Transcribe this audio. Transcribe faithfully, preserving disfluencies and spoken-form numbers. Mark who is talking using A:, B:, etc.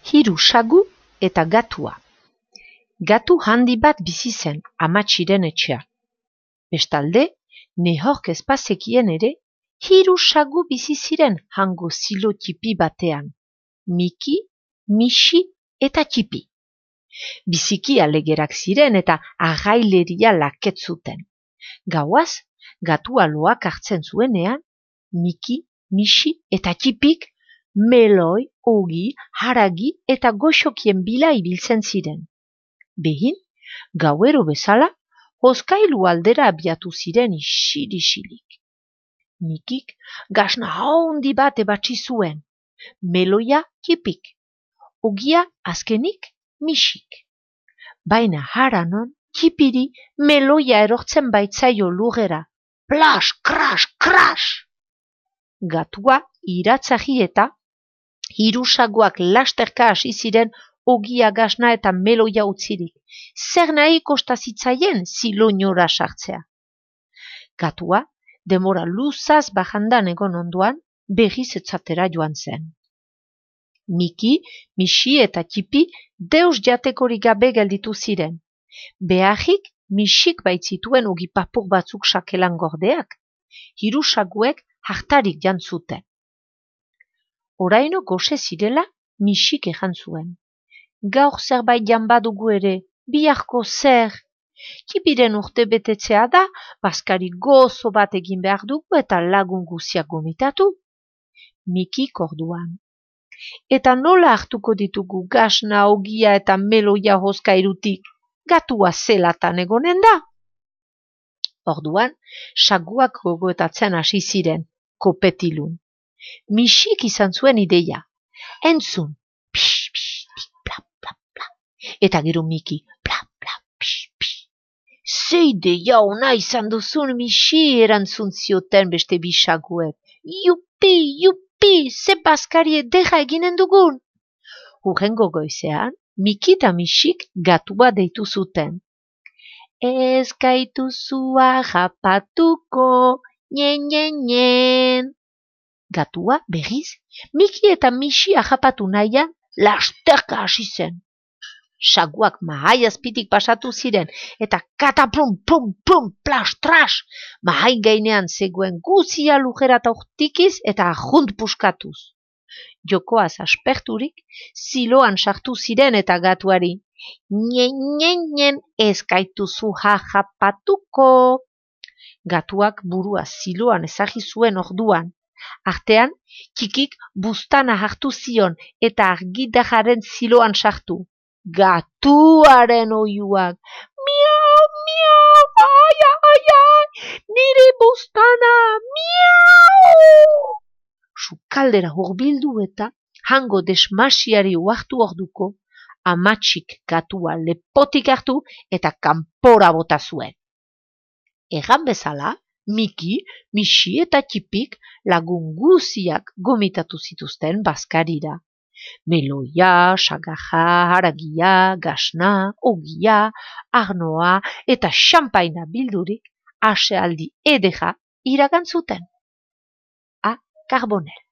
A: Hiru sagu eta gatua. Gatu handi bat bizi zen amatxiren etxean. Bestalde, nehork ez bazekien ere, hiru sagu bizi ziren hango zilo txipi batean. Miki, Mixi eta Txipi. Biziki alegerak ziren eta agaileria laketzuten. Gauaz, gatua loak hartzen zuenean, Miki, Mixi eta Txipik meloi, ogi, haragi eta goxokien bila ibiltzen ziren. Behin, gauero bezala, hozkailu aldera abiatu ziren isil-isilik. Mikik gasna haundi bat ebatsi zuen, meloia Txipik, ogia azkenik Mixik. Baina haranon, Txipiri meloia erortzen baitzaio lurrera. Plas, kras, kras! Gatua iratzagi eta hiru saguak lasterka hasi ziren ogia gasna eta meloia utzirik. Zer nahi kosta zitzaien ziloinora sartzea. Gatua, demora luzaz bajandan egon ondoan, berriz etzatera joan zen. Miki, Mixi eta Txipi deus jatekorik gabe gelditu ziren. Beharrik Mixik baitzituen ogi papur batzuk sakelan gordeak. Hiru saguek hartarik jantzuten. Oraino goxe zirela, Mixik ejan zuen. Gaur zerbait jan badugu ere, biharko zer? Txipiren urte betetzea da, bazkari gozo bat egin behar dugu eta lagun guziak gomitatu. Mikik orduan. Eta nola hartuko ditugu gasna, ogia eta meloia hozkairutik? Gatua zelatan egonen da? Orduan, saguak gogoetatzen hasi ziren, kopetilun. Mixik izan zuen ideia. Entzun, pix, pix, pix, bla, bla, bla. Eta gero Miki, bla, bla, pix, pix. Ze ideia ona izan duzun, Mixi, erantzun zioten beste bi saguek. Jupi, jupi, ze bazkari ederra eginen dugun. Hurrengo goizean, Miki eta Mixik gatua deitu zuten. Ez gaituzu harrapatuko, nien, nien, nien. Gatua, berriz, Miki eta Mixi harrapatu nahian lasterka hasi zen. Saguak mahai azpitik pasatu ziren eta kataplum, plum, plum, plas, tras, mahai gainean zegoen guzia lujera taurtikiz eta ajunt puskatuz. Jokoaz asperturik, ziloan sartu ziren eta gatuari. Nien, nien, nien, ez gaituzu harrapatuko. Gatuak burua ziloan ezagi zuen orduan. Artean, Txikik buztana hartu zion eta argidajaren ziloan sartu. Gatuaren oiuak. Miau, miau, ai, ai, ai, nire buztana, miau! Sukaldera hurbildu eta hango desmasiari uartu orduko, amatxik gatua lepotik hartu eta kanpora bota zuen. Egan bezala, Miki, Mixi eta Txipik lagun guziak gomitatu zituzten bazkarira. Meloia, sagaja, haragia, gasna, ogia, arnoa eta xampaina bildurik asealdi edera iragan zuten. A. Carbonell.